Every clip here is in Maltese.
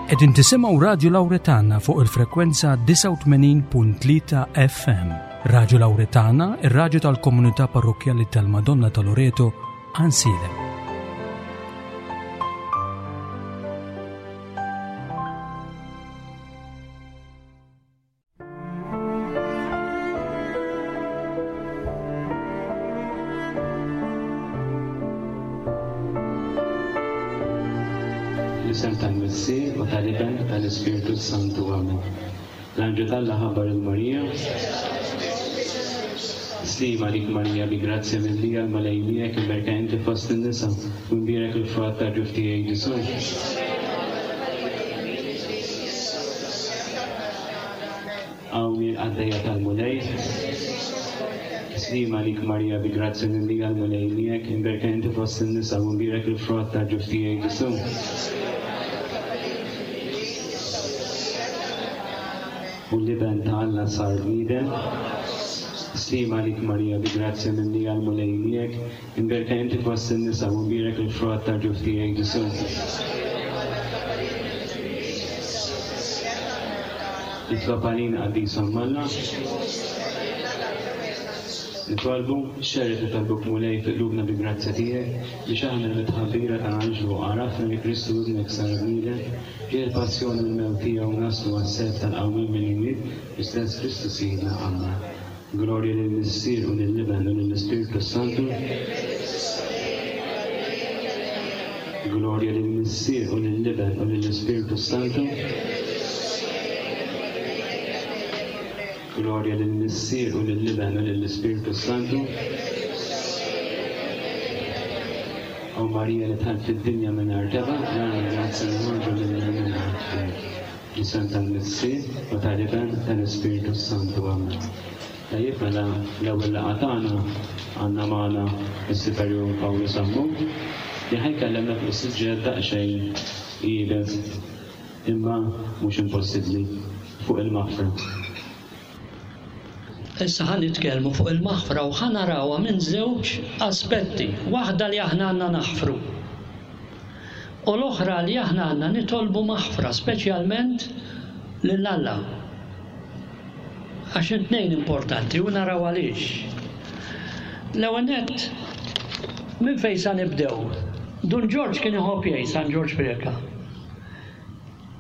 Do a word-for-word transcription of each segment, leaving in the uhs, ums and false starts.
Qegħdin tisimgħu Radju Lawretana fuq il-frekwenza disgħa u tmenin punt tlieta F M. Radju Lawretana, ir-radju tal-komunità parrokkjali tal-Madonna ta' Loreto, Għajnsielem. L-isem tal-Missier u tal-Iben u tal-Ispirtu Santu. Amen. L-Anġlu t'Alla ħabbar lil Marija. Slima lik Marija, bi grazzja mimlija l-Mulej miegħek, imberka inti fost in-nisa, u mbierek il-frott tal-ġuf tiegħek Ġesù. Hawn il-qaddejja tal-Mulej. Slima lik Marija, bi grazzja mimlija l-Mulej miegħek, imberka inti fost in-nisa, u mbierek il-frott tal-ġuf tiegħek Ġesù. U l-Iben ta' Alla sar bniedem. Slima lik Marija, bi grazzja mimlija l-Mulej miegħek, imberka inti fost in-nisa, u mbierek il-frott tal-ġuf tiegħek Ġesù. Itlob għalina qaddis Omm Alla. Nitolbu, xerred nitolbuk Mulej fi qlubna bi grazzja tiegħek, biex aħna l-mitħabbira tal-Anġlu għarafna li Kristu ibnek sar bniedem, ġie l-passjoni u l-mewt tiegħu naslu għas-self tal-qawmien mill-imwiet, l-istess Kristu Sidna. Amen. Glorja lill-Missier u lill-Iben u lill-Ispirtu Santu. Glorja lill-Missier u lill-Iben u lill-Ispirtu Santu. Glorja lill-Missier u lill-Iben u lill-Ispirtu Santu. O Marija li dħalt fid-dinja mingħajr tebgħa, nagħmel grazzja noħorġu minnha mingħajr ħtija. L-isem tal-Missier u tal-Iben u tal-Ispirtu Santu. Amen. Tajjeb, mela l-ewwel laqgħa tagħna għandna magħna is-Superjur Pawlu Sammut li ħajkellemna fuq suġġett daqsxejn iebes imma mhux impossibbli, fuq il-maħfra. Issa ħa nitkellmu fuq il-maħfra u ħa narawha minn żewġ aspetti. Waħda li aħna għandna naħfru u l-oħra li aħna għandna nitolbu maħfra, speċjalment lil Alla. Għax it-tnejn importanti u naraw għaliex. L-ewwel nett, minn fejn sa nibdew? Dun Ġorġ kien iħobb jgħid, San Ġorġ Preca.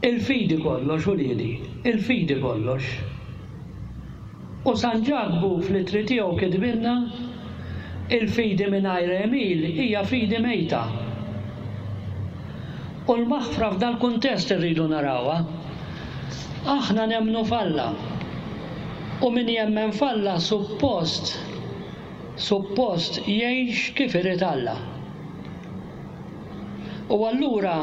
Il-fidi kollox, uliedi, il-fidi kollox. U San Ġakbu fl-ittri tiegħu kitbilna il-fidi mingħajr għemil hija fidi mejta. U l-maħfra f'dal-kuntest irridu narawha. Aħna nemmnu f'Alla. U min jemmen f'Alla suppost, suppost jgħix kif irid Alla. U allura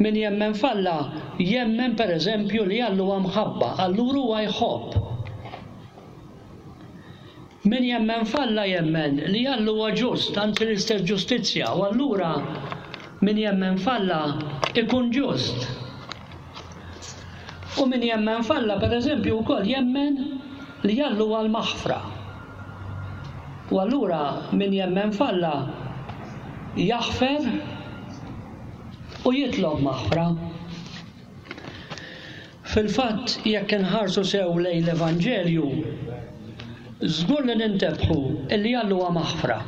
min jemmen f'Alla jemmen pereżempju li Alla huwa mħabba, allura huwa jħobb. Min jemmen f'Alla jemmen li Alla huwa ġust, anzi l-istess ġustizzja, u allura min jemmen f'Alla ikun ġust. U min jemmen f'Alla pereżempju wkoll jemmen li Alla huwa l-maħfra. U allura min jemmen f'Alla jaħfer u jitlob maħfra. Fil-fatt jekk inħarsu sew lejn l-Evanġelju, żgur li nintebħu illi Alla huwa maħfra.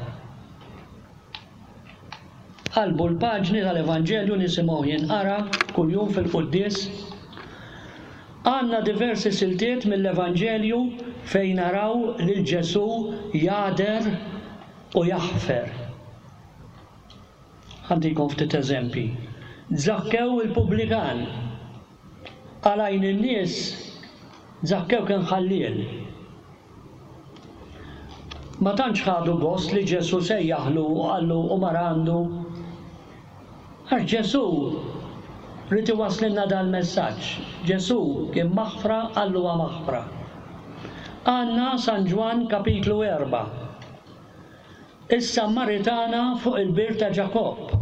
Qalbu l-paġni tal-Evanġelju nisimgħu jinqara kuljum fil-quddies. Għandna diversi siltiet mill-Evanġelju fejn naraw lil Ġesù jagħder u jaħfer. Għandikom ftit eżempji. Zakkew il-pubblikan. Għal għajn in-nies Zakkew kien ħalliel. Ma tantx ħadu gost li Ġesù sejjaħlu u qallu u mar għandu. Għax Ġesù rrid iwasslilna dal-messaġġ. Ġesù kien maħfra, qallu huwa maħfra. Għandna San Ġwann kapitlu erba'. Is-Sammaritana fuq il-bir ta' Ġakobb.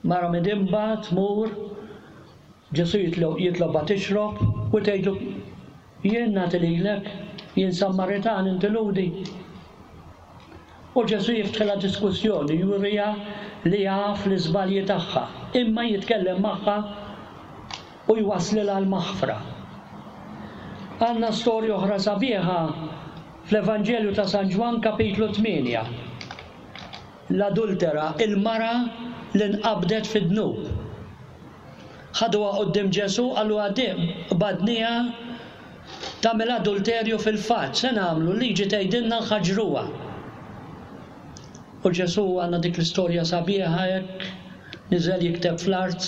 Mara midimba tmur, Ġesù jitlo-, jitlobha tixrob u tgħidlu jien nagħti lilek, jien Sammaritan inti Lhudi. U Ġesù jiftħilha diskussjoni, juriha li jaf l-iżbalji tagħha, imma jitkellem magħha u jwasslilha l-maħfra. Għandna storja oħra sabiħa fl-Evanġelju ta' San Ġwann kapitlu tmienja. L-adultera, il-mara li nqabdet fid-dnub. Ħaduha quddiem Ġesù, qalu għadim, qbadniha tagħmel adulterju fil-fatt, se nagħmlu, l-liġi tgħidilna nħaġruha. U Ġesù għandna dik l-istorja sabiħa hekk, niżel jikteb fl-art,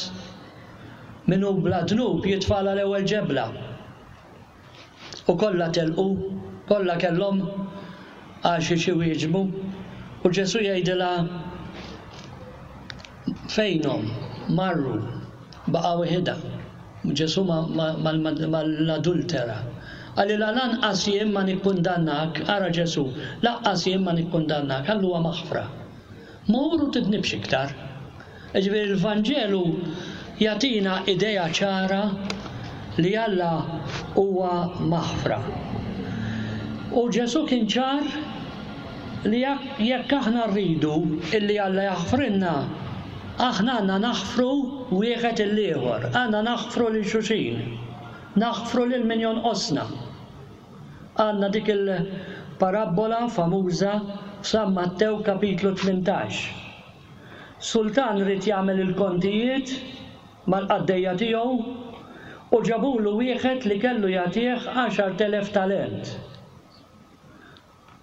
min hu bla dnub jitfagħla l-ewwel ġebla. U kollha telqu, kollha kellhom għal xi wieġbu. U Ġesù jgħidilha fejnhom, marru, baqgħu waħedha. Ġesù mal-adultera. Qalilha lanqas jien ma nikkundannak, ara Ġesù, lanqas jien ma nikkundannak, qalluha maħfra. Mur u tidnibx iktar. Ġifieri l-Vanġelu jagħtina idea ċara li Alla huwa maħfra. U Ġesù kien ċar li jekk aħna rridu illi Alla jaħfrilna, aħna għandna naħfru wieħed il-ieħor, għandna naħfru lil xulxin, naħfru lil min jonqosna. Għandna dik il-parabbola famuża f'San Mattew kapitlu tmintax. Sultan ried jagħmel il-kontijiet mal-qaddejja tiegħu u ġabulu wieħed li kellu jagħtih għaxart elef talent.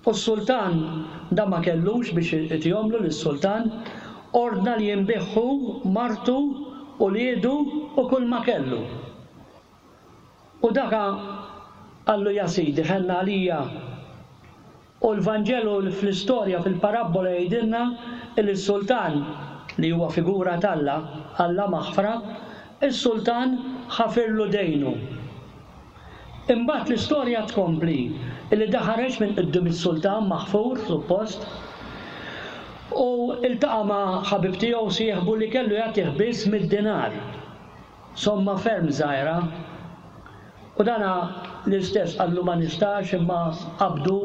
U s-sultan da ma kellux biex itihomlu lis-sultan, ordna li jinbiħu martu u liedu u kull ma kellu. U daka qallu ja sidi ħenna għalija. U l-Vanġelu fl-istorja fil-parabbola jgħidilna li s-sultan li huwa figura t'Alla, Alla maħfra, is-sultan ħafirlu dejnu. Imbagħad l-istorja tkompli li daħareġ minn quddiem is-sultan maħfur suppost u iltaqa' ma' ħabib tiegħu sieħbu li kellu jagħtih biss mid-dinar, somma ferm żgħira. U dana l-istess qallu ma nistax imma qabdu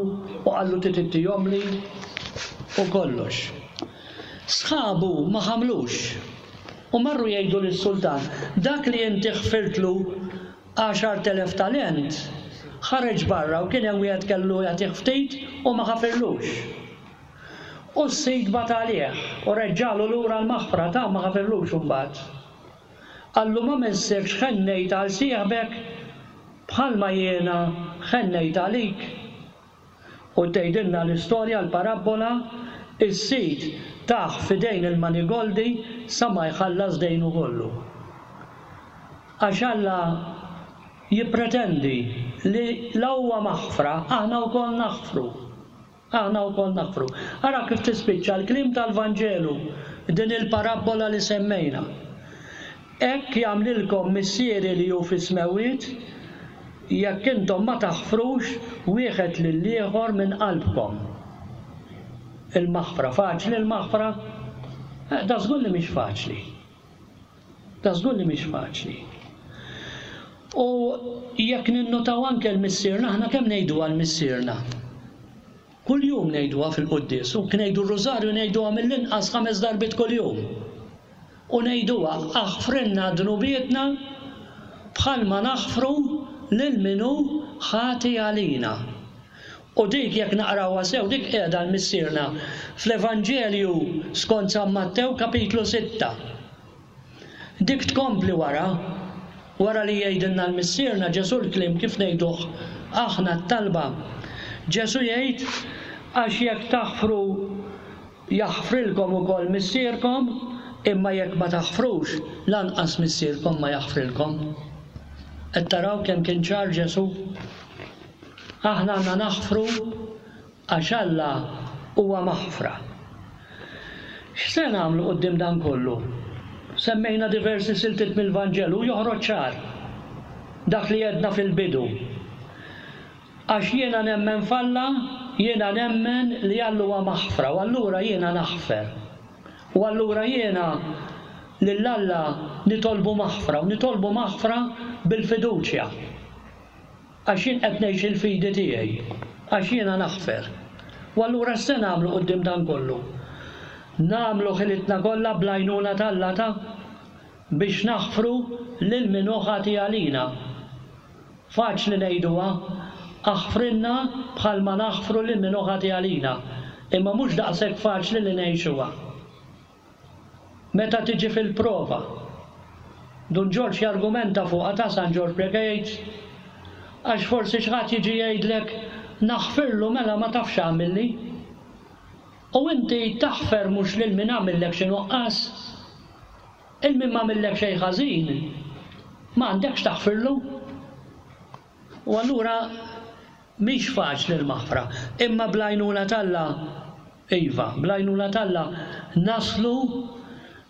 u qallu titittihomli u kollox. Sħabu ma ħamlux u marru jgħidu lis-sultan dak li inti ħfirtlu għaxart elef talent ħareġ barra u kien hemm wieħed kellu jagħtih ftit u ma ħafirlux. U s-sid bagħat għalih u reġġalu lura l-maħfra ta' ma ħafirlux imbagħad. Qallu ma missirx ħennejt għal sieħbek bħalma jiena ħennejt għalik. U tgħidilna l-istorja l-parabbola is-sid taħ f'idejn il-manigoldi sa ma jħallas dejnu kollu. Għax Alla jippretendi li la huwa maħfra, aħna wkoll naħfru. Aħna wkoll naħfru. Ara kif tispiċċa l-kliem tal-Vanġelu din il-parabbola li semmejna. Hekk jagħmlilkom missieri li hu fis-smewwiet jekk intom ma taħfrux wieħed lill-ieħor minn qalbkom. Il-maħfra, faċli l-maħfra? Da żgur li mhix faċli. Da żgur li mhix faċli. U jekk ninnotaw anke l-missierna, aħna kemm ngħiduha l-missierna? Kuljum ngħiduha fil-quddies, u ngħidu r-rużarju ngħiduha mill-inqas ħames darbiet kuljum. U ngħiduha aħfrilna dnubietna bħalma naħfru lil min hu ħati għalina. U dik jekk naqrawha sew dik qiegħda l-missierna fl-Evanġelju skont San Mattew kapitlu sitta. Dik tkompli wara, wara li jgħidilna l-missierna Ġesù l-kliem kif ngħiduh aħna t-talba. Ġesù jgħid għax jekk taħfru jaħfrilkom ukoll missierkom, imma jekk ma taħfrux lanqas missierkom ma jaħfrilkom. Qed taraw kemm kien ċar Ġesù? Aħna għandna naħfru għax Alla huwa maħfra. X'se nagħmlu quddiem dan kollu? Semmejna diversi siltiet mill-Vanġelu joħroġ ċar dak li għedna fil-bidu. Għax jiena nemmen f'Alla, jiena nemmen li Alla huwa maħfra u allura jiena naħfer. U allura jiena lil Alla nitolbu maħfra u nitolbu maħfra bil-fiduċja. Għax jien qed ngħix il-fidi tiegħi, għax jiena naħfer. U allura x'se nagħmlu quddiem dan kollu? Nagħmlu ħilitna kollha bl-għajnuna t'Alla ta' biex naħfru lil min hu ħati għalina. Faċli ngħiduha, aħfrilna bħalma naħfru lil min hu ħati għalina, imma mhux daqshekk faċli li ngħixuha. Meta tiġi fil-prova, Dun Ġorġ jargumenta fuqha ta' San Ġorġ Preca jgħid għax forsi xi ħadd jiġi jgħidlek naħfirlu mela ma tafx għamilli. U inti taħfer mhux lil min għamillek xi nuqqas. Il min m'għamillek xejn ħażin ma għandekx taħfirlu. U allura mhix faċli l-maħfra, imma bl-għajnuna t'Alla, iva, bl-għajnuna t'Alla naslu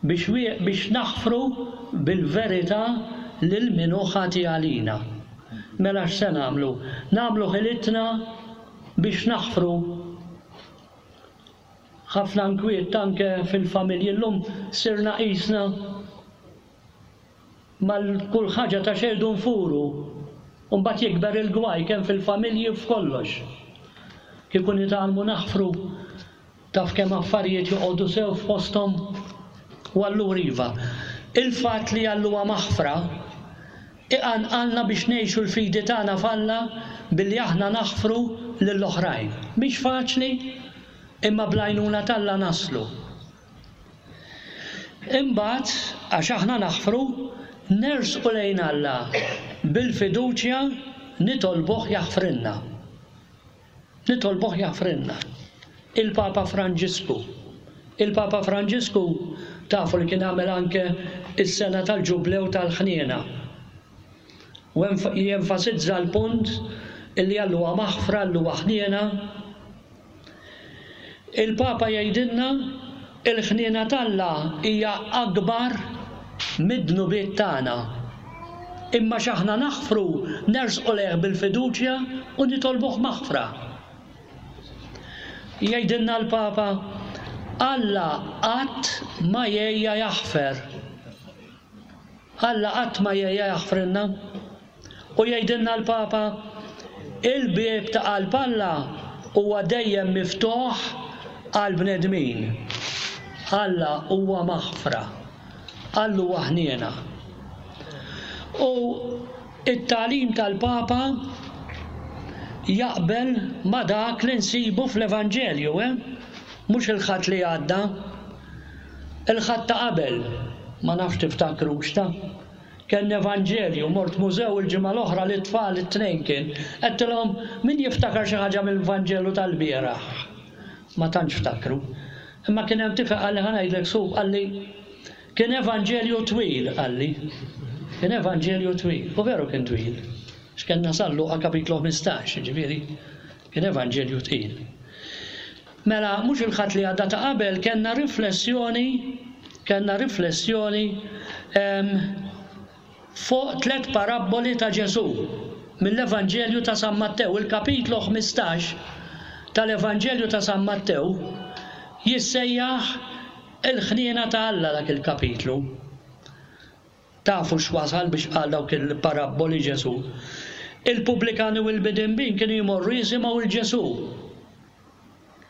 biex, biex naħfru bil-verità lil min hu ħati għalina. Mela x'se nagħmlu? Nagħmlu ħilitna biex naħfru. Ħafna nkwiet anke fil-familji llum sirna qisna mal kull ħaġa ta' xejn nfuru. U mbagħad jikber il-gwaj kemm fil-familji u f'kollox. Kieku nitgħallmu naħfru taf kemm affarijiet joqogħdu sew f'posthom. U allura iva, il-fatt li Alla huwa maħfra iqanqalna biex ngħixu l-fidi tagħna f'Alla billi aħna naħfru lill-oħrajn. Mhix faċli, imma bl-għajnuna t'Alla naslu. Imbagħad, għax aħna naħfru, nersqu lejn Alla bil-fiduċja nitolbuh jaħfrilna. Nitolbuh jaħfrilna. Il-Papa Franġisku. Il-Papa Franġisku tafu li kien għamel anke is-sena tal-ġublew tal-ħniena. U jenfasizza l-punt illi Alla huwa maħfra, Alla huwa ħniena. Il-Papa jgħidilna il-ħniena t'Alla hija akbar mid-dnubiet tagħna. Imma x'aħna naħfru nersqu lejh bil-fiduċja u nitolbuh maħfra. Jgħidilna l-Papa, Alla qatt ma jgħejja jaħfer. Alla qatt ma jgħejja jaħfrilna. U jgħidilna l-Papa, il-bieb ta' qalb Alla huwa dejjem miftuħ għal bnedmin. Alla huwa maħfra. Alla huwa ħniena. U it-tagħlim tal-Papa jaqbel ma dak li nsibu fl-Evanġelju, eh? Mhux il-Ħadd li għadda, il-Ħadd ta' qabel, ma nafx tiftakrux ta' kien Evanġelju, mort mużew il-ġimgħa l-oħra li t-tfal it-tnejn kien, għedtilhom min jiftakar xi ħaġa mill-Vanġelu tal-bieraħ. Ma tantx ftakru. Imma kien hemm tifel qalli ħa ngħidlek sub qalli kien Evanġelju twil qalli. Kien Evanġelju twil, u veru kien twil. X'kellna San Luqa kapitlu ħmistax, jiġifieri kien Evanġelju twil. Mela mhux il-Ħadd li għadda ta' qabel kellna riflessjoni, kellna riflessjoni fuq tliet parabboli ta' Ġesù mill-Evanġelju ta' San Mattew. Il-kapitlu ħmistax tal-Evanġelju ta' San Mattew jissejjaħ il-ħniena ta' Alla dak il-kapitlu. Tafu x'wasal biex qal dawk il-parabboli Ġesù. Il-pubblikani u l-bidinbin kienu jmorru jisimgħu il Ġesù.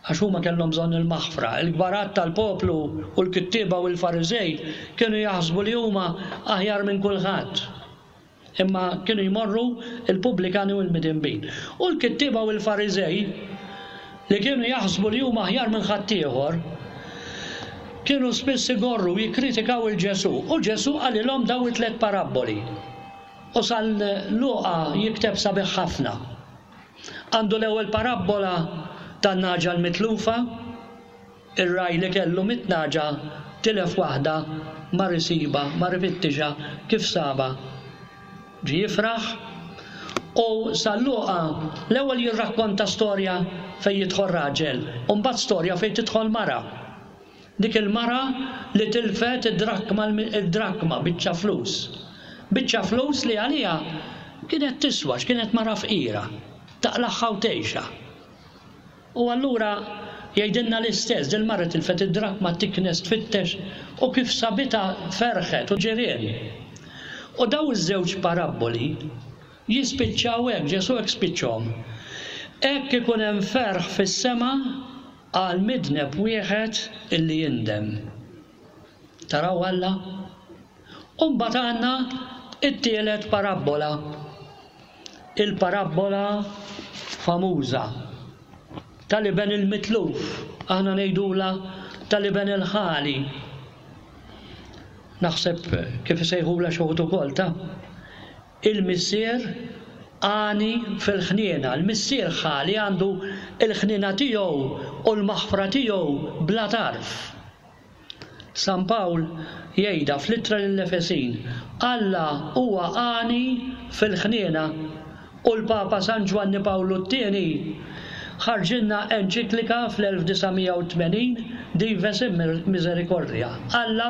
Għax huma kellhom bżonn il-maħfra. Il-kbarat tal-poplu u l-kittieba u l-Fariżej kienu jaħsbu li huma aħjar minn kulħadd. Imma kienu jmorru il-pubblikani u l-midinbin. U l-kittieba u l-Fariżej li kienu jaħsbu li huma aħjar minn ħaddieħor kienu spiss igorru jikkritikaw il-Ġesù. U Ġesù qalilhom daw it-tliet parabboli. U San Luqa jikteb sabiħ ħafna. Għandu l-ewwel parabbola tan-naġa l-mitlufa, ir-raj li kellu mit-naġa tilef waħda mar isibha, mar ifittixha kif saba. Ġie jifraħ. U San Luqa l-ewwel jirrakkonta storja fejn jidħol raġel, u mbagħad storja fejn tidħol mara. Dik il-mara li tilfet id-drakma, id-drakma biċċa flus. Biċċa flus li għalija kienet tiswa, x'kienet mara fqira, taqlaħħa u tgħixha. U allura jgħidilna l-istess, dil mara tilfet id-drakma tiknes tfittex u kif sabitha ferħet u ġirien. U daw iż-żewġ parabboli jispiċċaw hekk, Ġesù hekk spiċċhom. Hekk ikun hemm ferħ fis-sema għal midneb wieħed illi jindem. Taraw Alla? U mbagħad għandna it-tielet parabbola. Il-parabbola famuża tal-iben il-mitluf, aħna ngħidula tal-iben il-ħali. Naħseb kif isejħula xi wħud ukoll ta' il-missier għani fil-ħniena, il-missier ħali għandu il-ħniena tiegħu u l-maħfra tiegħu bla tarf. San Pawl jgħidha fl-ittra lill-Efesin, Alla huwa għani fil-ħniena, u l-Papa San Ġwanni Pawlu t-tieni ħarġilna enċiklika fl-elf disa' mija u tmenin Dives in Misericordia, Alla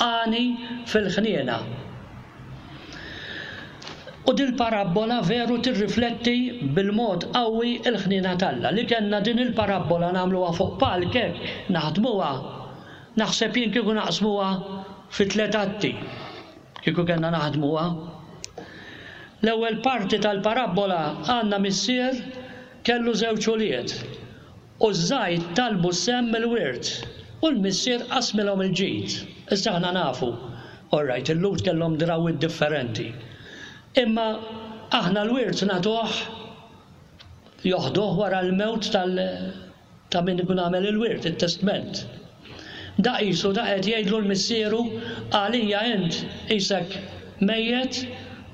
għani fil-ħniena. U dil-parabbola veru tirrifletti bil-mod qawwi l-ħniena t'Alla. Li kellna din il-parabbola nagħmluha fuq palk hekk, naħdmuha, naħseb jien kieku naqsmuha fi tliet atti, kieku kellna naħdmuha. L-ewwel parti tal-parabbola għandna missier kellu żewġ ulied u ż-żgħir talbu sehem mill-wirt u l-missier qasmilhom il-ġid. Issa aħna nafu, all right, il-Lhud kellhom drawwiet differenti. Imma aħna l-wirt nagħtuh joħduh wara l-mewt tal-, ta' min ikun għamel il-wirt, it-testment. Da qisu da qed jgħidlu l-missieru għalija int qisek mejjet,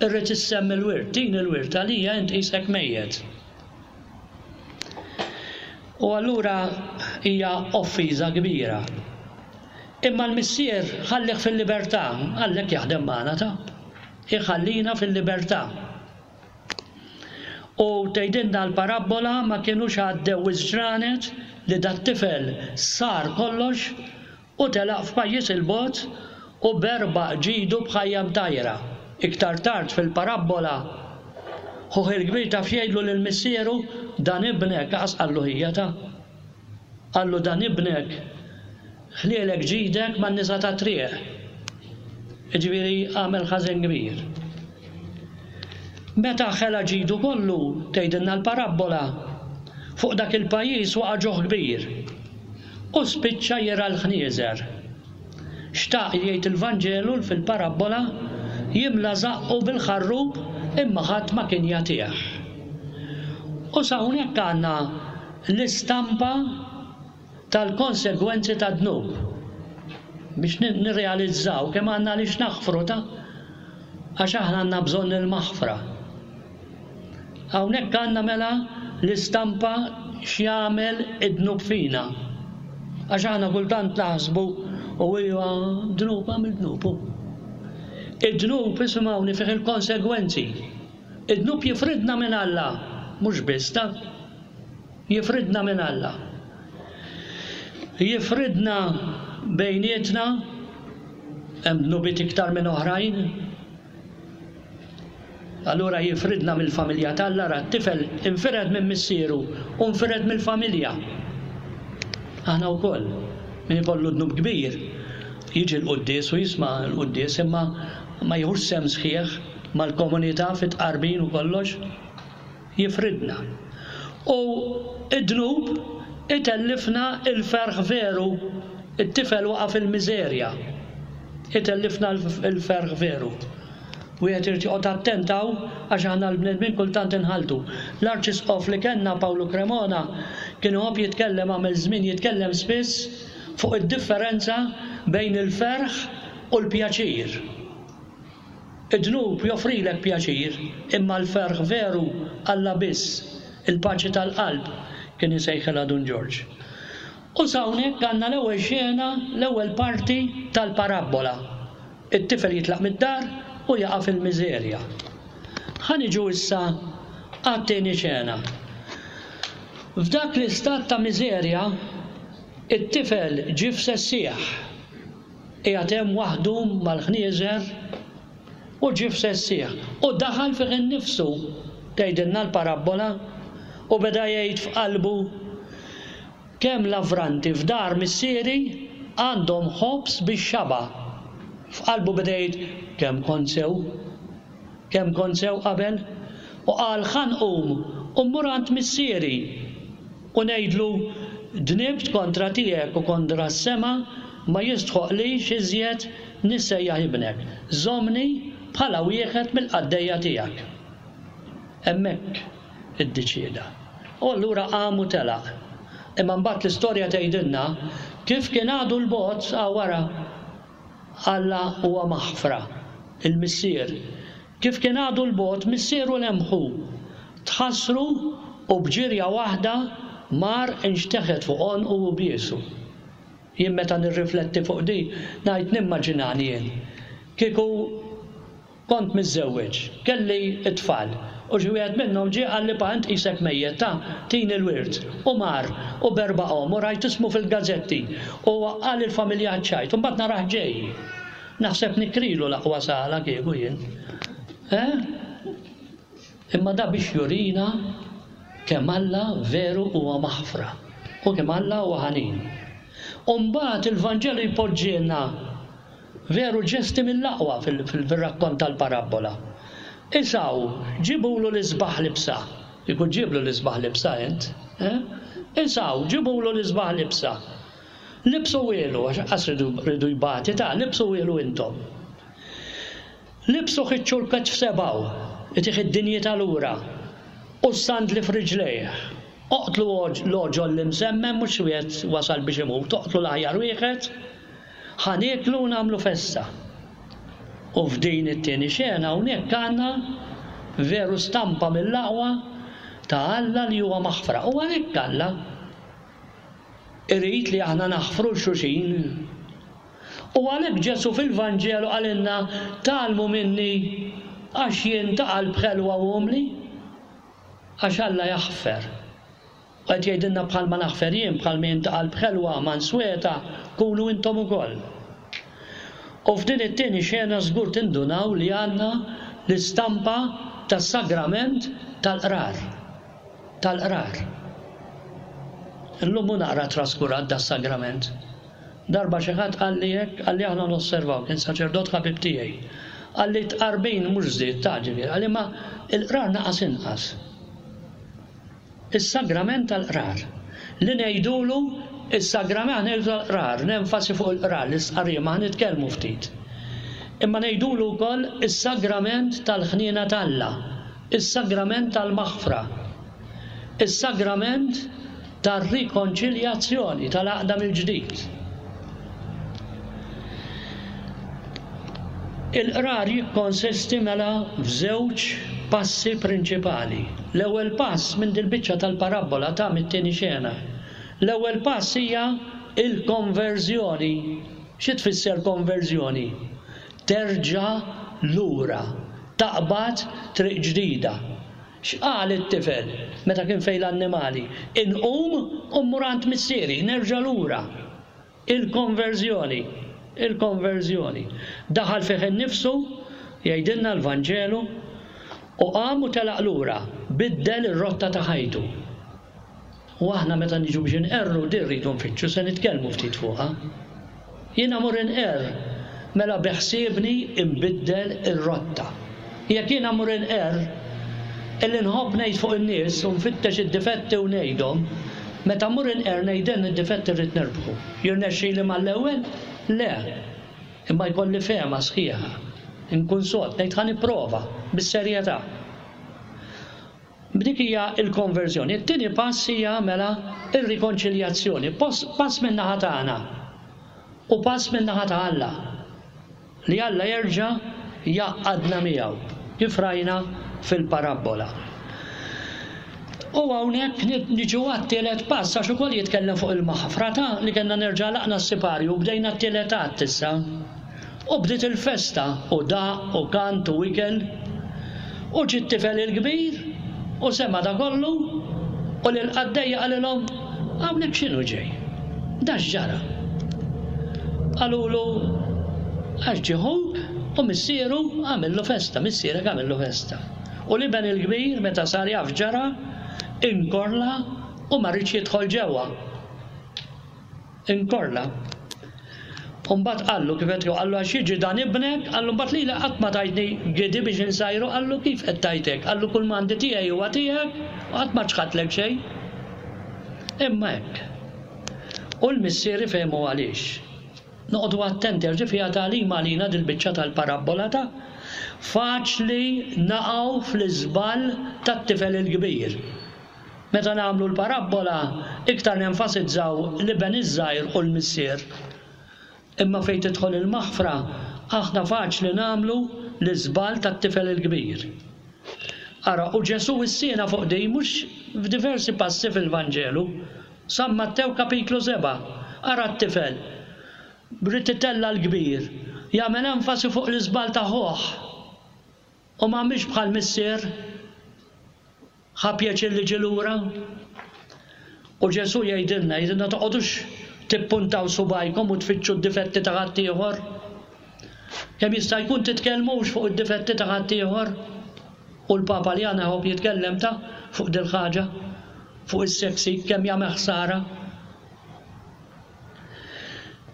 irrid issemmi l-wirt, din il-wirt għalija int qisek mejjet. U allura hija offiża kbira. Imma l-missier ħallih fil-libertà, għallek jaħdem magħna ta' iħallina fil-libertà. U tgħidilna l-parabbola ma kienux għaddew iż-ġranet li dat-tifel sar kollox u telaq f'pajjiż il-bogħod u berba ġidu b'ħajja mtajra. Iktar tard fil-parabbola ħuh il-kbir taf jgħidlu lil missieru dan ibnek, qas qallu ħija ta' qallu dan ibnek ħlielek ġidek man-nisa ta' triq. Jiġifieri għamel ħażin kbir. Meta ħela ġidu kollu, tgħidilna l-parabbola, fuq dak il-pajjiż waqa' ġuħ kbir u spiċċa jira l-ħnieżer. Xtaq jgħid il-Vanġelu fil-parabbola jimla żaqqu bil-ħarrub imma ħadd ma kien jagħtih. U sa hawnhekk għandna l-istampa tal-konsegwenzi tad-dnub. Biex nirrealizzaw kemm għandna għaliex naħfru ta' għax aħna għandna bżonn il-maħfra. Hawnhekk għandna mela l-istampa x'jagħmel id-dnub fina. Għax aħna kultant naħsbu u iva dnub għamil dnub. Id-dnub isimgħuni fih il-konsegwenzi. Id-dnub jifridna minn Alla, mhux biss ta' jifridna minn Alla. Jifridna bejnietna, hemm dnubiet iktar minn oħrajn. Allura jifridna mill-familja t'Alla, ra t-tifel infired minn missieru u nfired mill-familja. Aħna wkoll, min ikollu dnub kbir, jiġi l-quddies u jisma' l-quddies imma ma jieħux sehem sħiħ mal-komunità fit-tqarbin u kollox, jifridna. U id-dnub itellifna il-ferħ veru, it-tifel waqa' fil-miżerja. Itellifna l-ferħ veru. Wieħed irid joqgħod attent hawn għax aħna l-bnedmin kultant inħaltu. L-Arċisqof li kellna Pawlu Cremona kien iħobb jitkellem, għamel żmien jitkellem spiss fuq id-differenza bejn il-ferħ u l-pjaċir. Id-dnub joffrilek pjaċir, imma l-ferħ veru Alla biss, il-paċi tal-qalb, kien isejħilha Dun Ġorġ. U s'hawnhekk għandna l-ewwel xena, l-ewwel parti tal-parabbola. It-tifel jitlaq mid-dar u jaqa' fil-miżerja. Ħa niġu issa għat-tieni xena. F'dak l-istat ta' miżerja, it-tifel ġie f'sessieħ. Qiegħed hemm waħdu mal-ħnieżer u ġie f'sessieħ. U daħal fih innifsu, tgħidilna l-parabbola, u beda jgħid f'qalbu kemm lavranti f'dar missieri għandhom ħobż bix-xaba. F'qalbu beda jgħid kemm kont sew, kemm kont sew qabel, u qal ħa nqum u mmur għand missieri u ngħidlu dnibt kontra tiegħek u kontra s-sema, Ma jistħoqlix iżjed nissejjaħ ibnek. Żommni bħala wieħed mill-qaddejja tiegħek. Hemmhekk iddeċieda. U allura qam u telaq. Imma mbagħad l-istorja tgħidilna kif kien għadu 'l bogħod wara Alla huwa maħfra, il-missier. Kif kien għadu 'l bogħod, missieru lemħu, tħassru u b'ġirja waħda mar inxteħet fuq għonqu u biesu. Jien meta nirrifletti fuq di, ngħid nimmaġinani jien. Kieku kont miżżewweġ, kelli t-tfal, u xi wieħed minnhom ġie qalli pa int qisek mejjet ta' tini l-wirt, u mar u berbaqhom u rajt ismu fil-gazzetti u waqqal il-familja ċajt, u mbagħad narah ġej. Naħseb nikrilu l-aqwa sala kieku jien. Eh? Imma da biex jurina kemm Alla veru huwa maħfra u kemm Alla huwa ħanin. U mbagħad il-Vanġelu jpoġġielna veru ġesti mill-aqwa fil-rakkont tal-parabbola. Isaw, ġibulu l-isbaħ libsa. Ikun ġiblu l-isbaħ libsa int. Eh? Isaw, ġibulu l-isbaħ libsa. Libsu wielu, għax qas ridu jbati ta' libsu wielu intom. Libsu ħiċċu l-ketf sebaw, itih id-dinjità lura, u s-sandli f'riġlejh. Oqtlu l-oġol li msemmem, mhux wieħed wasal biex imut, oqtlu l-aħjar wieħed, ħa nieklu u nagħmlu festa. U f'din it-tieni xena hawnhekk għandna veru stampa mill-aqwa ta' Alla li huwa maħfra. U għalhekk Alla irid li aħna naħfru l-xulxin. U għalhekk Ġesù fil-Vanġelu qalilna tgħallmu minni għax jien ta' qalb ħelwa u umli, għax Alla jaħfer. U qed jgħidilna bħalma naħfer jien, bħalma jien ta' qalb ħelwa mansweta, kunu intom ukoll. U f'din it-tieni xena żgur tindunaw li għandna l-istampa tas-sagrament tal-qrar. Tal-qrar. Illum hu naqra traskurat das-sagrament. Darba xi ħadd qalli hekk, qalli aħna nosservaw, kien saċerdot ħabib tiegħi. Qalli tqarbin mhux żdied ta' ġifieri, qalli ma il-qrar naqas inqas. Is-sagrament tal-qrar. Li ngħidulu is-sagrament ngħidu tal-qrar, nenfasi fuq il-qrar, l-istqarrija ma nitkellmu ftit. Imma ngħidulu wkoll is-sagrament tal-ħniena t'Alla, is-sagrament tal-maħfra, is-sagrament tar-rikonċiljazzjoni, tal-għaqda mill-ġdid. Il-qrar jikkonsisti mela f'żewġ passi prinċipali. L-ewwel pass minn dil-biċċa tal-parabbola ta' mit-tieni xena. L-ewwel pass hija il-konverżjoni. Xi tfisser konverżjoni? Terġa' lura, taqbad triq ġdida. X'qal it-tifel meta kien fejn l-annimali? Inqum u mmur għand missieri, nerġa' lura. Il-konverżjoni, il-konverżjoni. Daħal fih innifsu, jgħidilna l-Vanġelu, u qam u telaq lura, biddel ir-rotta ta' ħajtu. U aħna meta niġu biex inqerru din rridu nfittxu, se nitkellmu ftit fuqha. Jiena mur inqerr, mela beħsiebni nbiddel ir-rotta. Jekk jiena mur inqerr, illi nħobb ngħid fuq in-nies u nfittex id-difetti u ngħidhom, meta mmur inqerr ngħidilni d-difetti rrid nirbħu. Jirnexxili mal-ewwel? Le. Imma jkolli fehma sħiħa. Inkun sod, ngħid ħa nipprova bis-serjetà. B'dik hija l-konverżjoni. It-tieni pass hija mela ir-rikonċiljazzjoni, pass min-naħa tagħna u pass min-naħa ta' Alla. Li Alla jerġa' jgħaqqadna miegħu, kif rajna fil-parabbola. U hawnhekk niġu għat-tielet pass, għax ukoll jitkellem fuq il-maħfra ta' li kellna nerġa' laqna s-siparju u bdejna t-tielet att issa. U bdiet il-festa u daq u kant u ikel. U ġie t-tifel il-kbir u sema' da kollu u lil qaddejja qalilhom hawnhekk x'inhu ġej? Da x'ġara? Qalulu għax ġie ħuk u missieru għamillu festa, missierek għamillu festa. U l-iben il-kbir meta sar jaf ġara inkorla u ma riedx jidħol ġewwa. Inkorla. U mbagħad qallu kif qed qallu għax jiġi dan ibnek, qallu mbagħad lili qatt ma tajtni gidi biex insajru, qallu kif qed tajtek? Qallu kull m'għandi tiegħi huwa tiegħek u qatt ma ċħadlek xejn. Imma hekk. U l-missieri fehmu għaliex. Noqogħdu attenti għax fiha tagħlim għalina dil-biċċa tal-parabbola ta' faċli naqgħu fl-iżball tat-tifel il-kbir. Meta nagħmlu l-parabbola iktar nenfasizzaw l-iben iż-żgħir u l-missier. Imma fejn tidħol il-maħfra aħna faċli nagħmlu l-iżball tat-tifel il-kbir. Ara, u Ġesù wissiena fuq din mhux f'diversi passi fil-Vanġelu. San Mattew kapitlu seba', ara t-tifel brid itella' l-kbir, jagħmel enfasi fuq l-iżball ta' ħuh. U ma mhix bħal missier ħa pjaċir li ġie lura. U Ġesù jgħidilna, jgħidilna toqgħodux tippuntaw subajkom u tfittxu d-difetti ta' ħaddieħor. Kemm jista' jkun titkellmux fuq id-difetti ta' ħaddieħor. U l-Papa li għana jħobb jitkellem ta' fuq dil-ħaġa, fuq is-seksi, kemm jagħmel ħsara.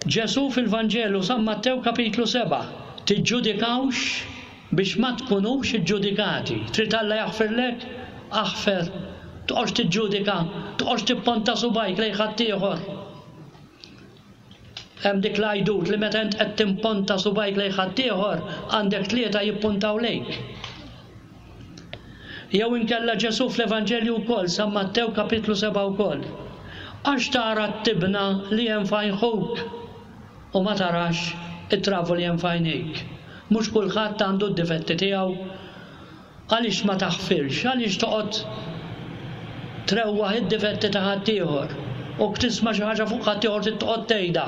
Ġesù fil-Vanġelu San Mattew kapitlu seba', tiġġudikawx biex ma tkunux iġġudikati. Trid Alla jaħfirlek? Aħfer. Toqgħodx tiġġudika, toqgħodx tipponta subajk lejn ħaddieħor. Hemm dik l-għajdut li meta int qed timponta subajk lejn ħaddieħor għandek tlieta jippuntaw lejk. Jew inkella Ġesù fl-Evanġelju wkoll, San Mattew kapitlu seba' wkoll. Għax tara t-tibna li hemm f'għajn ħuk u ma tarax it-travu li hemm f'għajnejk. Mhux kulħadd għandu d-difetti tiegħu. Għaliex ma taħfirx? Għaliex toqgħod trewwaħ id-difetti ta' ħaddieħor u tisma' xi ħaġa fuq ħaddieħor trid toqgħod tgħidha.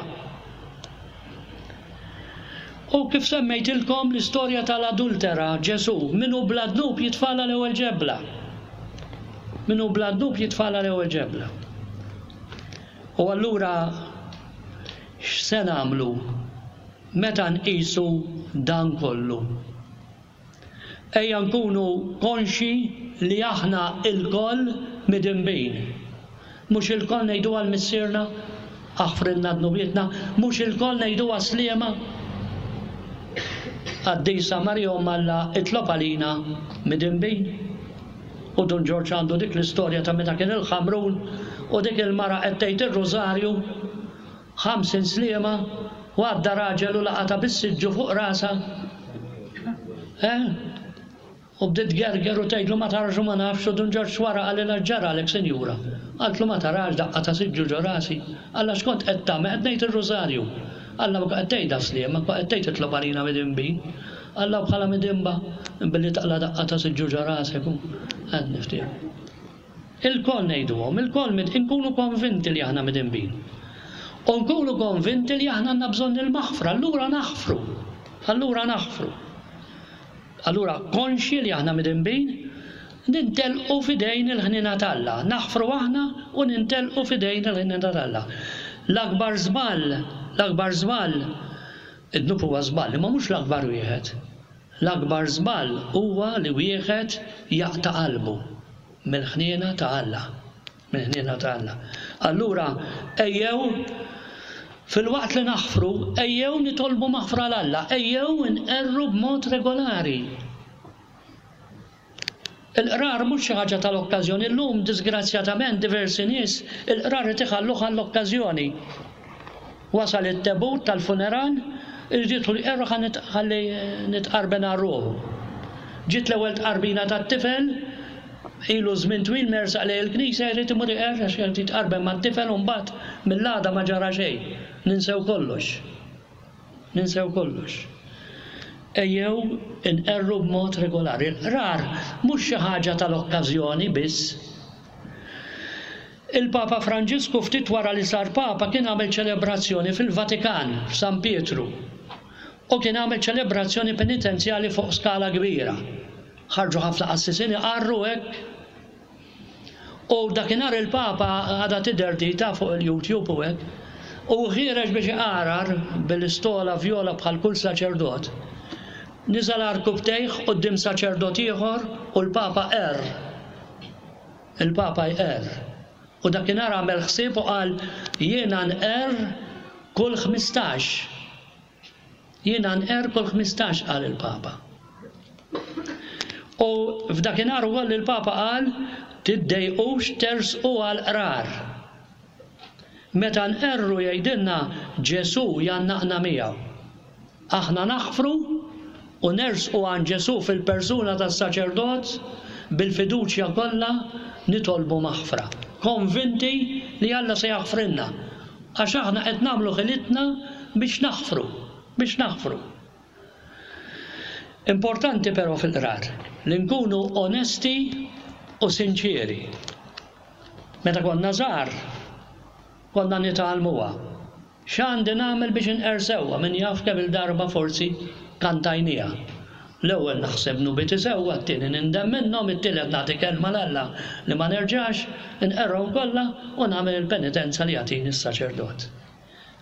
U kif semmejtilkom l-istorja tal-adultera, Ġesù, min hu bla dnub jitfala l-ewwel ġebla. Min hu bla dnub jitfala l-ewwel ġebla. U allura x'se nagħmlu meta nqisu dan kollu? Ejja nkunu konxi li aħna lkoll midinbin. Mhux ilkoll ngħidu għal missierna, aħfrilna dnubietna, mhux ilkoll ngħidu sliema. Qaddisa Marija Omm Alla itlob għalina midinbin. U Dun Ġorġ għandu dik l-istorja ta' meta kien il-Ħamrun u dik il-mara qed tgħid ir-rużarju ħamsin sliema u għadda raġel u laqata bis-siġġu fuq rasha. Eh? U bdiet gerger u tgħidlu ma tarax u ma nafx u Dun Ġorġ wara qalilha x'ġaralek sinjura. Qaltlu ma tarax daqqa ta' siġġu ġo rasi. Alla x'kont qed tagħmel? Qed ngħid ir-rużarju. Alla ma qed tgħidha sliema, ma qed tgħid itlob għalina midinbin. Alla bħala midinba billi taqla daqqa ta' siġġu ġo rasek u qed niftiehem. Ilkoll ngħiduhom, ilkoll inkunu konvinti li aħna midinbin. U nkunu konvinti li aħna għandna bżonn il-maħfra, allura naħfru. Allura naħfru. Allura konxi li aħna midinbin, nintelqu f'idejn il-ħniena t'Alla. Naħfru aħna u nintelqu f'idejn il-ħniena t'Alla. L-akbar żball, l-akbar żball, id-dnub huwa żball, imma mhux l-akbar wieħed. L-akbar żball huwa li wieħed jaqta' qalbu mill-ħniena ta' Alla. Mill-ħniena ta' Alla. Allura ejjew fil-waqt li naħfru, ejjew nitolbu maħfra 'l Alla, ejjew nqerru b'mod regolari. Il-qrar mhux xi ħaġa tal-okkażjoni. Illum disgrazzjatament diversi nies il-qrar qed iħalluh għall-okkażjoni. Wasal it-tebut tal-funeral, irid jidħol jqerru ħalli nitqarben għal ruħu. Ġiet l-ewwel tqarbina tat-tifel, ilu żmien twil mersaq lejn il-knisja jrid imur iqerr għax irid jitqarben mat-tifel u mbagħad mill-għada ma ġara xejn. Ninsew kollox. Ninsew kollox. Ejjew inqerru b'mod regolari. Il-qrar mhux xi ħaġa tal-okkażjoni biss. Il-Papa Franġisku ftit wara li sar Papa kien għamel ċelebrazzjoni fil-Vatikan, f'San Pietru. U kien għamel ċelebrazzjoni penitenzjali fuq skala kbira. Ħarġu ħafna qassisin iqarru hekk. U dakinhar il-Papa għadha tidher dita fuq il-YouTube u hekk. U ħiereġ biex iqarar bil-istola vjola bħal kull saċerdot. Niżel għarkupptejh quddiem saċerdot ieħor u l-Papa qerr. Il-Papa jqerr. U dakinhar għamel ħsieb u qal jiena nqerr kull ħmistax. Jiena nqerr kull ħmistax qal il-Papa. U f'dakinhar ukoll il-Papa qal tiddejqux tersqu għall-qrar. Meta nqerru jgħidilna Ġesù jgħannaqna miegħu. Aħna naħfru u nersqu għand Ġesù fil-persuna tas-saċerdot bil-fiduċja kollha nitolbu maħfra. Konvinti li Alla se jaħfrilna. Għax aħna qed nagħmlu ħilitna biex naħfru, biex naħfru. Importanti però fil-qrar li nkunu onesti u sinċieri. Meta konna żgħar, konna nitgħallmuha. X'għandi nagħmel biex inqer sewwa, min jaf kemm il-darba forsi kantajniha. L-ewwel naħseb dnubieti sewwa, t-tieni nindem minnhom, it-tielet nagħti kelma 'l Alla li ma nerġax, inqerhom kollha u nagħmel il-penitenza li jagħtini s-saċerdot.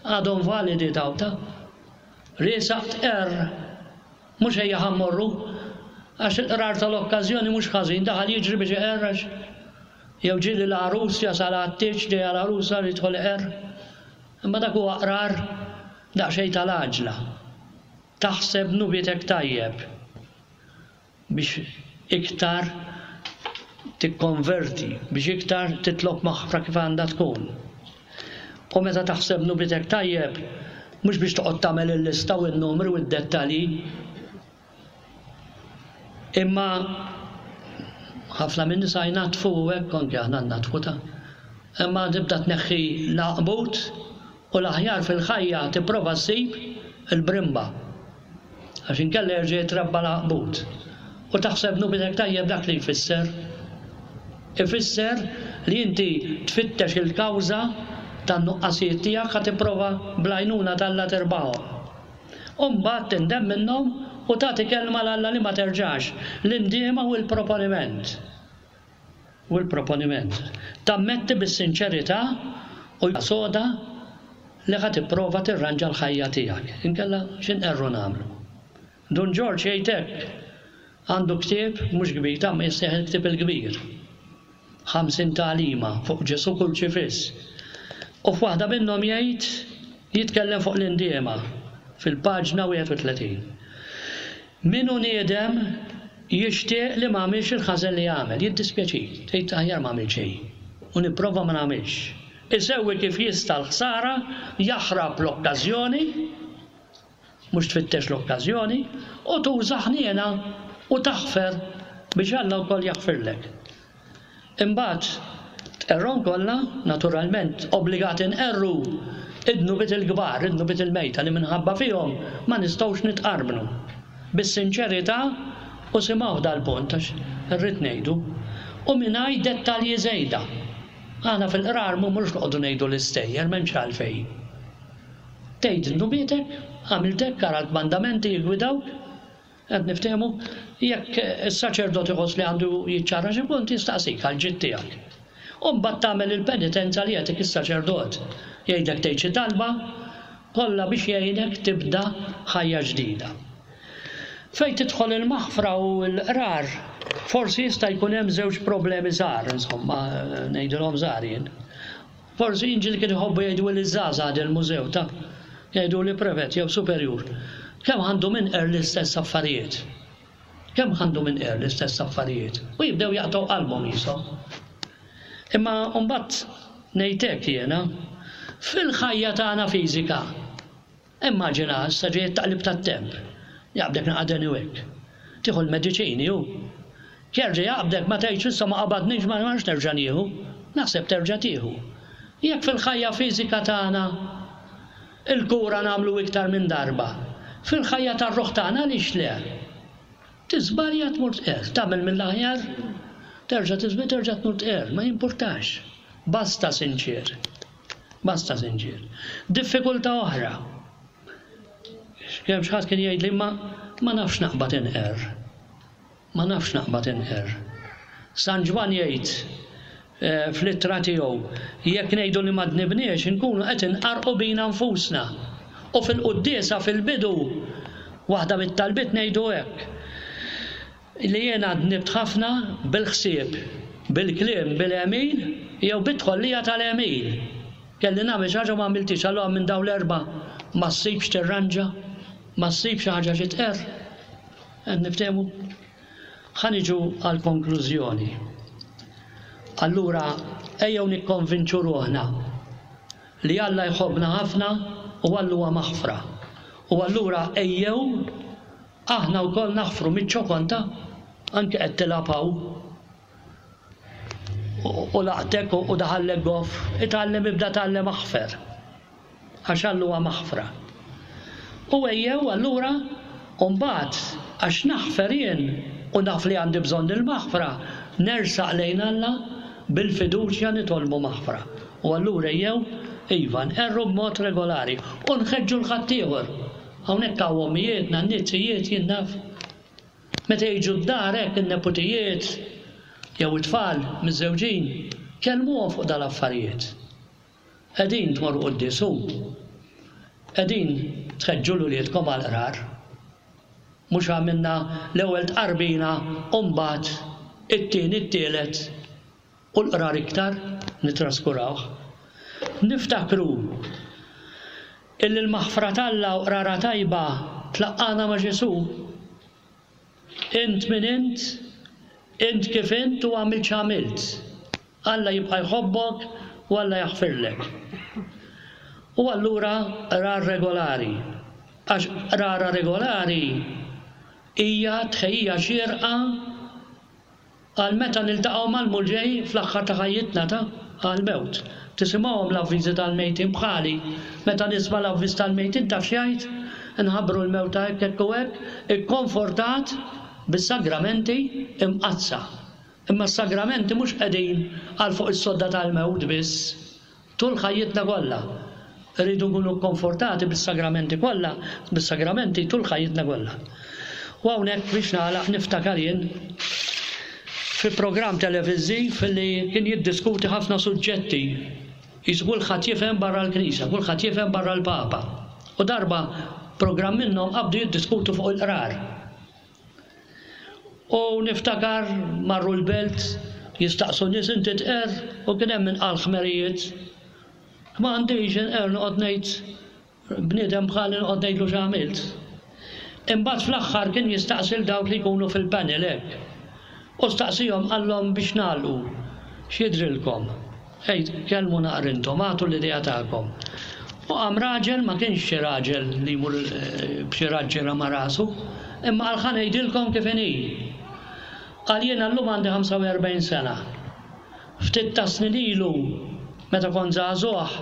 Għadhom validi dawn ta'? Riesaq tqerr, mhux ejja ħa mmorru, għax il-qrar tal-okkażjoni mhux ħażin, daħal jiġri biex iqerr għax jew ġieli l-għarus jasal għat-tieġ ġejja l-għarusa li jidħol iqerr. Imma dak huwa qrar daqsxejn tal-għaġla. Taħseb dnubietek tajjeb biex iktar tikkonverti, biex iktar titlob maħfra kif għandha tkun. U meta taħseb dnubietek tajjeb, mhux biex toqgħod tagħmel il-lista u n-numri u d-dettalji, imma ħafna minn nisa jnatfu u hekk anke aħna natfu ta'. Imma tibda tneħħi l-għaqbut u l-aħjar fil-ħajja tipprova ssib il-brimba. Għax inkella jerġa' jitrabba l-għaqbut. U taħseb dnubietek tajjeb dak li jfisser. Ifisser li inti tfittex il-kawża tan-nuqqasijiet tiegħek ħa tipprova bl-għajnuna t'Alla tirbaħhom. U mbagħad tindem minnhom u tagħti kelma 'l Alla li ma terġax, l-indiema u l-proponiment. U l-proponiment. Tammetti bis-sinċerità u soda li ħa tipprova tirranġa l-ħajja tiegħek. Inkella x'inqerru nagħmlu. Dun Ġorġ jgħid hekk, għandu ktieb mhux kbir, ta' ma jissejjaħ il-ktieb il-kbir. Ħamsin tagħlima fuq Ġesù Kurċifiss. U f'waħda minnhom jgħid jitkellem fuq l-indiema fil-paġna wieħed u tletin. Min hu niedem jixtieq li ma għamilx il-ħażen li għamel, jiddispjaċik, tgħid aħjar ma għamil xejn u nipprova ma nagħmilx. Isewwi kif jista' l-ħsara, jaħrab l-okkażjoni, mhux tfittex l-okkażjoni, u tuża ħniena u taħfer biex Alla wkoll jaħfirlek. Imbagħad tqerrhom kollha, naturalment obbligati nqerru id-dnubiet il-kbar, id-dnubiet il-mejta li minħabba fihom ma nistgħux nitqarbnu. Bis-sinċerità u simgħu dal-punt għax irrid ngħidu, u mingħajr dettalji żejda. Aħna fil-qrar mhux noqogħdu ngħidu l-istejjer, m'hemmx għalfejn. Tgħid dnubietek, għamilt hekk, ara l-kmandamenti jiggwidawk, qed niftehmu, jekk is-saċerdot iħoss li għandu jiċċara xi punt jistaqsik għal ġid tiegħek. U mbagħad tagħmel il-penitenza li jagħtik is-saċerdot. Jgħidlek tgħid xi talba kollha biex jgħinek tibda ħajja ġdida. Fejn tidħol il-maħfra u l-qrar, forsi jista' jkun hemm żewġ problemi żgħar, insomma, ngħidilhom żgħar jien. Forsi inġil kien iħobbu jgħidu li żgħażagħ il-mużew ta' jgħidu li prevet jew superjur. Kemm għandu minn qer l-istess affarijiet? Kemm għandu minn qer l-istess affarijiet? U jibdew jaqtgħu qalbhom qishom. Imma mbagħad ngħidlek jiena, fil-ħajja tagħna fiżika, immaġina issa ġej it-taqlib tat-temp. Jaqbdek naqadeni u hekk. Tieħu l-mediċini hu. Jerġa' jaqbdek ma tgħidx issa ma qabadniex ma nafx nerġa' nieħu. Naħseb terġa' tieħu. Jekk fil-ħajja fiżika tagħna il-kura nagħmlu iktar minn darba, fil-ħajja tar-ruħ tagħna għaliex le? Tiżbalja tmur tqerr, tagħmel mill-aħjar, terġa' tiżbalja terġa' tmur tqerr, ma jimpurtax. Basta sinċier. Basta sinċier. Diffikultà oħra. Kemm xi ħadd kien jgħidli ma ma nafx naqbad inqerr. Ma nafx naqbad inqerr. San Ġwann jgħid fl-ittra tiegħu, jekk ngħidu li ma dnibniex inkunu qed inqarqu bina nfusna. U fil-quddiesa fil-bidu waħda mit-talbiet ngħidu hekk. Li jiena dnibt ħafna bil-ħsieb, bil-kliem, bil-għemil jew bit-tħollija tal-għemil. Kelli nagħmel xi ħaġa ma għamiltix, allura minn dawn l-erba' ma ssibx tirranġa, ma ssibx xi ħaġa xi tqerr. Qed niftehmu? Ħa niġu għall-konklużjoni. Allura ejjew nikkonvinċu ruħna li Alla jħobbna ħafna u Alla huwa maħfra. U allura ejjew aħna wkoll naħfru miċ-ċokon ta' anke qed tilgħab hawn. U laqtek u daħallek goff, itgħallem ibda tgħallem aħfer. Għax Alla huwa maħfra. U ejjew allura u mbagħad għax naħfer jien u naf li għandi bżonn il-maħfra, nersaq lejn Alla bil-fiduċja nitolbu maħfra. U allura ejjew iva nqerru b'mod regolari u nħeġġu l-ħaddieħor. Hawnhekk hawn ommijiet, nannizijiet, jien naf. Meta jiġu d-dar hekk in-neputijiet jew it-tfal miżżewġin, kellmuhom fuq dal-affarijiet. Qegħdin tmorru quddies hu. Qegħdin tħeġġu l-uliedkom għall-qrar. Mhux għamilna l-ewwel tqarbina u mbagħad it-tieni it-tielet u l-qrar iktar nitraskurawh. Niftakru illi l-maħfra t'Alla u qrara tajba tlaqqana ma' Ġesù. Int min int, int kif int u għamilt x'għamilt. Alla jibqa' jħobbok u Alla jaħfirlek. U allura qrar regolari. Għax qrara regolari hija tħejjija xierqa għal meta niltaqgħu mal-Mulej fl-aħħar ta' ħajjitna ta' għall-mewt. Tisimgħuhom l-avviżi tal-mejtin bħali. Meta nisma' l-avviż tal-mejtin taf x'jgħid? Nħabbru l-mewt ta' hekk hekk u hekk, ikkonfortat bis-sagramenti imqaddsa. Imma s-sagramenti mhux qegħdin għal fuq is-sodda tal-mewt biss, tul ħajjitna kollha. Rridu nkunu kkonfortati bis-sagramenti kollha, bis-sagramenti tul ħajjitna kollha. U hawnhekk biex nagħlaq niftakar jien fi programm televiżiv li kien jiddiskuti ħafna suġġetti. Jisu kulħadd jifhem barra l-Knisja, kulħadd jifhem barra l-Papa. U darba programm minnhom qabdu jiddiskutu fuq il-qrar. U niftakar marru l-belt jistaqsu nies inti tqer u kien hemm min qal ħmerijiet. Ma għandix inqer noqgħod ngħid bniedem bħali noqgħod ngħidlu x'għamilt. Imbagħad fl-aħħar kien jistaqsi l dawk li jkunu fil-panel hekk. U staqsihom qallhom biex nagħlqu. X'jidrilkom? Ejt, kellmu naqra intom, agħtu l-idea tagħkom. U qam raġel, ma kienx xi raġel li jmur b'xi raġġiera ma' rasu, imma qal ħa ngħidilkom kif inhi. Qal jiena llum għandi ħamsa u erbgħin sena. Ftit ta' snin ilu, meta kont żagħżugħ,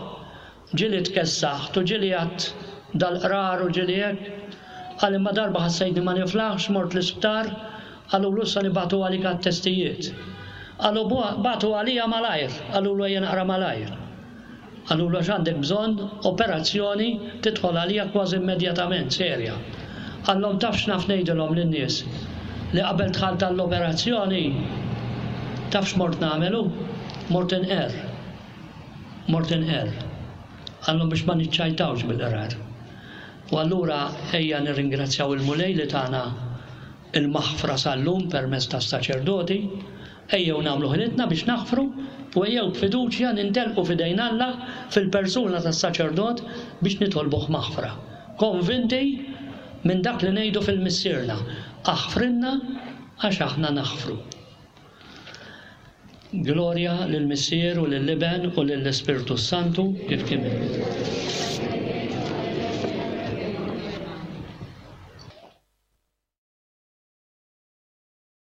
ġieli tkessaħt u ġieli għadt dal-qrar u ġieli hekk. Qal imma darba ħassejtni ma niflaħx, mort l-isptar, qalulu issa nibagħtu għalik għat-testijiet. Qalu bagħtu għalija malajr, qalulu ejja naqra malajr. Qalulu għax għandek bżonn operazzjoni tidħol għalija kważi immedjatament, serja. Qallhom taf x'naf ngħidilhom lin-nies li qabel dħalt għall-operazzjoni taf x'mort nagħmel hu? Mort inqer. Mort inqer. Qallhom biex ma niċċajtawx bil-qrar. U allura ejja nirringrazzjaw il-Mulej li tana il-maħfra sal-lum permezz tas-saċerdoti, ejjew nagħmlu ħilitna biex naħfru u ejjew b'fiduċja nintelqu f'idejn Alla fil-persuna tas-saċerdot biex nitolbuh maħfra. Konvinti minn dak li ngħidu fil-Missierna, aħfrinna għax aħna naħfru. Glorja lill-Missier u lill-Iben u lill-Ispirtu Santu kif kien.